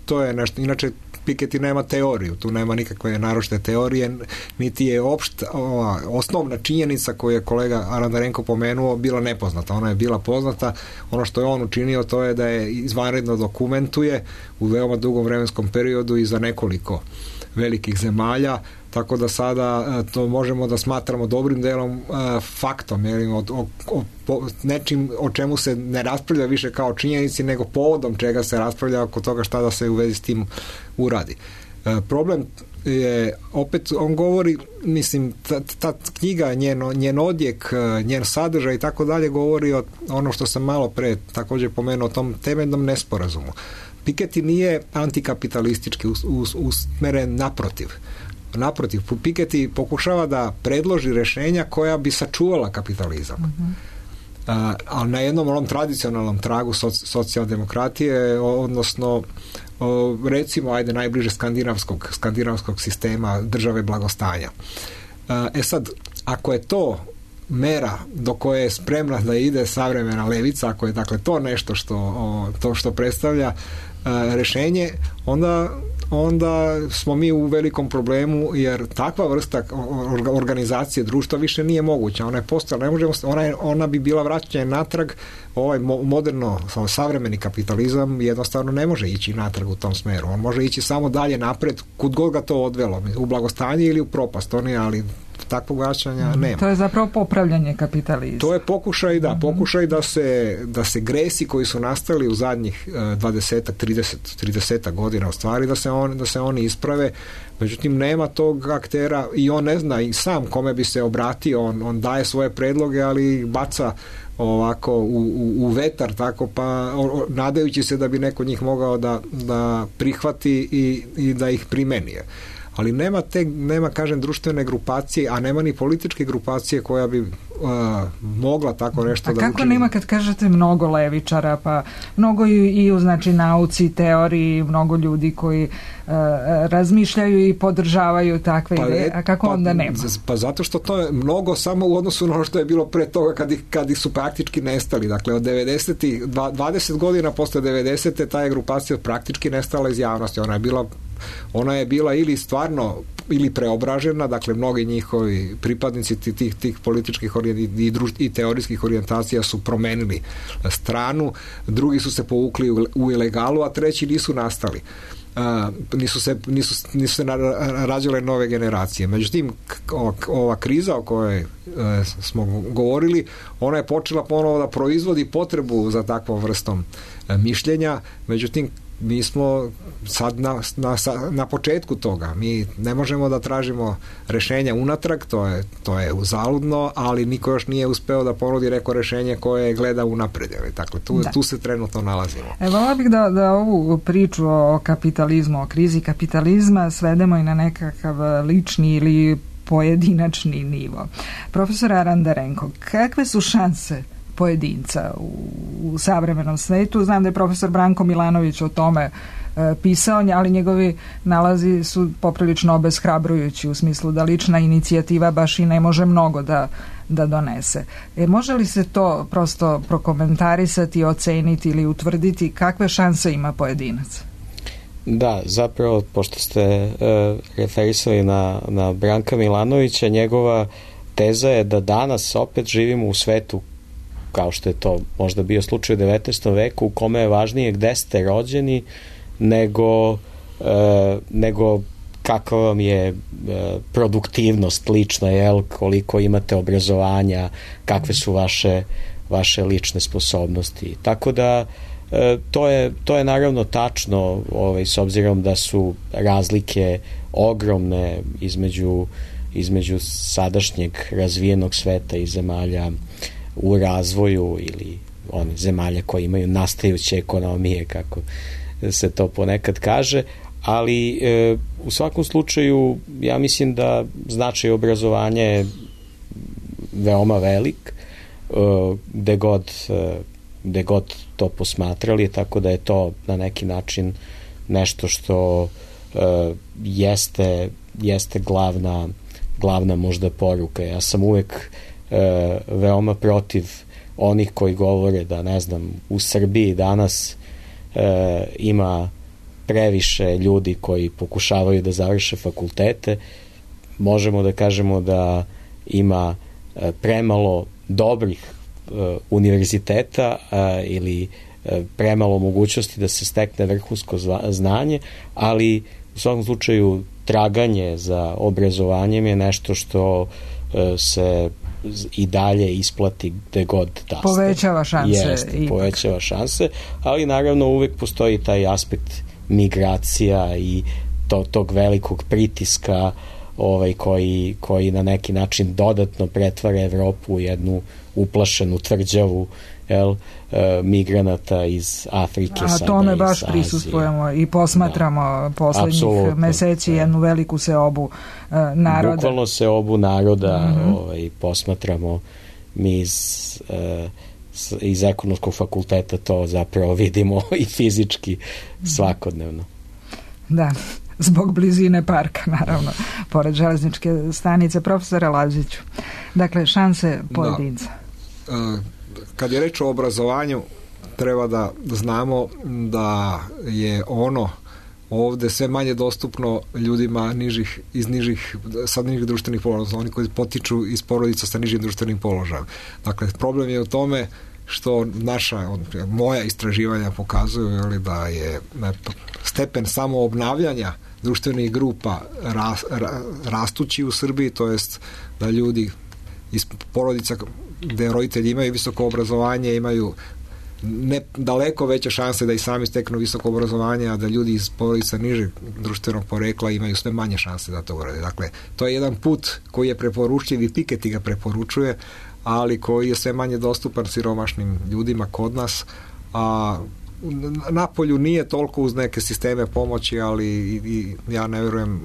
To je nešto. Inače, Piketty nema teoriju, tu nema nikakve naročite teorije, niti je osnovna činjenica koju je kolega Arandarenko pomenuo bila nepoznata. Ona je bila poznata. Ono što je on učinio to je da je izvanredno dokumentuje u veoma dugom vremenskom periodu i za nekoliko velikih zemalja, tako da sada to možemo da smatramo dobrim delom faktom, nečim o čemu se ne raspravlja više kao činjenici, nego povodom čega se raspravlja oko toga šta da se u vezi s tim uradi. Problem je, opet on govori, mislim, ta knjiga, njen odjek, njen sadržaj i tako dalje govori o ono što sam malo pre također pomenuo, o tom temeljnom nesporazumu. Piketty nije antikapitalistički usmeren, naprotiv, Piketty pokušava da predloži rešenja koja bi sačuvala kapitalizam. Ali na jednom onom tradicionalnom tragu socijaldemokratije, odnosno recimo, najbliže skandinavskog sistema države blagostanja. Sad, ako je to mera do koje je spremna da ide savremena levica, ako je dakle to nešto što predstavlja rešenje, onda smo mi u velikom problemu, jer takva vrsta organizacije društva više nije moguća. Ona je postala, ne možemo, ona bi bila vraćanje natrag. Ovaj moderno savremeni kapitalizam jednostavno ne može ići natrag u tom smeru. On može ići samo dalje napred, kud god ga to odvelo, u blagostanje ili u propast, ali takvog vraćanja nema. To je zapravo popravljanje kapitalizma. To je pokušaj da se gresi koji su nastali u zadnjih 20-30 godina u stvari, da se oni isprave. Međutim, nema tog aktera i on ne zna i sam kome bi se obratio. On daje svoje predloge, ali baca ovako u vetar, tako, pa nadajući se da bi neko njih mogao da prihvati i da ih primeni. Ali nema, kažem, društvene grupacije, a nema ni političke grupacije koja bi mogla tako nešto da učini. A kako nema, kad kažete mnogo levičara, pa mnogo i u nauci, teoriji, mnogo ljudi koji razmišljaju i podržavaju takve ideje, a kako onda nema? Pa zato što to je mnogo samo u odnosu na ono što je bilo pre toga kad su praktički nestali. Dakle, od 90-ih, 20 godina posle 90-te ta je grupacija praktički nestala iz javnosti. Ona je bila ili stvarno ili preobražena, dakle mnogi njihovi pripadnici tih političkih i teorijskih orijentacija su promenili stranu, drugi su se povukli u ilegalu, a treći nisu nastali. Nisu se rađale nove generacije. Međutim, ova kriza o kojoj smo govorili, ona je počela ponovo da proizvodi potrebu za takvom vrstom mišljenja. Međutim, mi smo sad na početku toga. Mi ne možemo da tražimo rešenja unatrag, to je uzaludno, ali niko još nije uspeo da ponudi neko rešenje koje gleda unapred. Dakle, tu se trenutno nalazimo. Vola bih da ovu priču o kapitalizmu, o krizi kapitalizma svedemo i na nekakav lični ili pojedinačni nivo. Profesor Arandarenko, kakve su šanse pojedinca u savremenom svetu. Znam da je profesor Branko Milanović o tome pisao, ali njegovi nalazi su poprilično obeshrabrujući u smislu da lična inicijativa baš i ne može mnogo da donese. Može li se to prosto prokomentarisati, oceniti ili utvrditi kakve šanse ima pojedinac? Da, zapravo, pošto ste referisali na Branka Milanovića, njegova teza je da danas opet živimo u svetu, kao što je to možda bio slučaj u 19. veku, u kome je važnije gde ste rođeni nego kakva vam je produktivnost lična, koliko imate obrazovanja, kakve su vaše lične sposobnosti. Tako da to je naravno tačno, s obzirom da su razlike ogromne između sadašnjeg razvijenog sveta i zemalja u razvoju ili onih zemalja koje imaju nastajuće ekonomije, kako se to ponekad kaže, ali u svakom slučaju ja mislim da značaj obrazovanja je veoma velik gde god to posmatrali, tako da je to na neki način nešto što jeste glavna možda poruka. Ja sam uvek veoma protiv onih koji govore da, ne znam, u Srbiji danas ima previše ljudi koji pokušavaju da završe fakultete. Možemo da kažemo da ima premalo dobrih univerziteta ili premalo mogućnosti da se stekne vrhunsko znanje, ali u svakom slučaju traganje za obrazovanjem je nešto što se i dalje isplati gde god da ste. Povećava šanse. Povećava šanse, ali naravno uvek postoji taj aspekt migracija i tog velikog pritiska koji na neki način dodatno pretvara Evropu u jednu uplašenu tvrđavu migranata iz Afrike. A tome baš prisustvujemo i posmatramo poslednjih meseci jednu veliku seobu naroda. Bukvalno seobu naroda posmatramo mi iz ekonomskog fakulteta, to zapravo vidimo i fizički svakodnevno. Da, zbog blizine parka, naravno, pored železničke stanice. Profesore Laziću, dakle, šanse pojedinca. Kad je reč o obrazovanju, treba da znamo da je ono ovde sve manje dostupno ljudima sa nižih društvenih položaja, oni koji potiču iz porodica sa nižim društvenim položajem. Dakle, problem je u tome što moja istraživanja pokazuju da je stepen samoobnavljanja društvenih grupa rastući u Srbiji, to jest da ljudi iz porodica gde roditelji imaju visoko obrazovanje imaju daleko veće šanse da i sami steknu visoko obrazovanje, a da ljudi iz porodica nižeg društvenog porekla imaju sve manje šanse da to urade. Dakle, to je jedan put koji je preporučljiv i Piketty ga preporučuje, ali koji je sve manje dostupan siromašnim ljudima kod nas, a napolju nije toliko uz neke sisteme pomoći, ali i ja ne vjerujem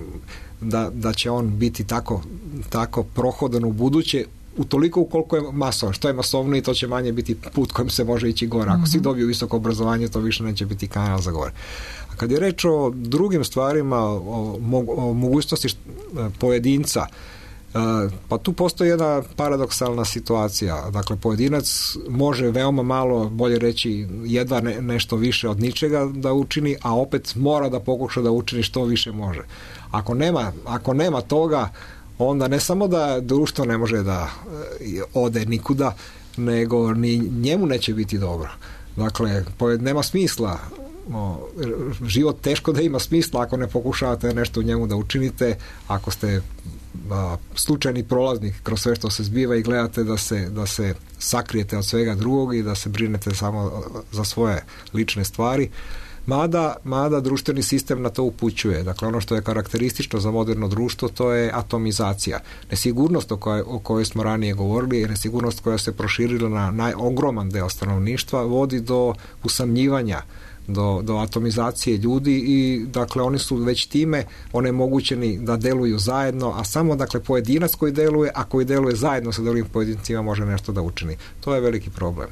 da će on biti tako prohodan u buduće, utoliko ukoliko je masovan. Što je masovniji, to će manje biti put kojim se može ići gore. Ako svi dobiju visoko obrazovanje, to više neće biti kanal za gore. A kad je reč o drugim stvarima, o mogućnosti pojedinca, pa tu postoji jedna paradoksalna situacija. Dakle, pojedinac može veoma malo, bolje reći, jedva nešto više od ničega da učini, a opet mora da pokuša da učini što više može. Ako nema toga, onda ne samo da društvo ne može da ode nikuda, nego ni njemu neće biti dobro. Dakle, nema smisla. Život teško da ima smisla ako ne pokušavate nešto u njemu da učinite, ako ste slučajni prolaznik kroz sve što se zbiva i gledate da se sakrijete od svega drugog i da se brinete samo za svoje lične stvari. Mada društveni sistem na to upućuje. Dakle, ono što je karakteristično za moderno društvo, to je atomizacija. Nesigurnost o kojoj smo ranije govorili, nesigurnost koja se proširila na ogroman deo stanovništva, vodi do usamljivanja do atomizacije ljudi i dakle oni su već time onemogućeni da deluju zajedno, a samo dakle pojedinac koji deluje, a koji deluje zajedno sa drugim pojedincima može nešto da učini. To je veliki problem.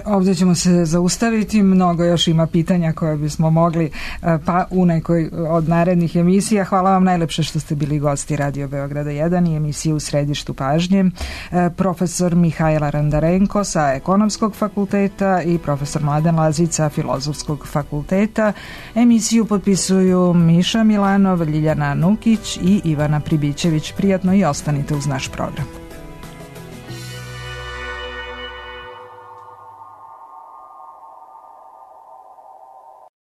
Ovdje ćemo se zaustaviti, mnogo još ima pitanja koje bismo mogli pa u nekoj od narednih emisija. Hvala vam najlepše što ste bili gosti Radio Beograda 1 i emisije U središtu pažnje. Profesor Mihajl Arandarenko sa Ekonomskog fakulteta i profesor Mladen Lazić sa Filozofskog fakulteta. Emisiju potpisuju Miša Milanov, Ljiljana Nukić i Ivana Pribićević. Prijatno i ostanite uz naš program.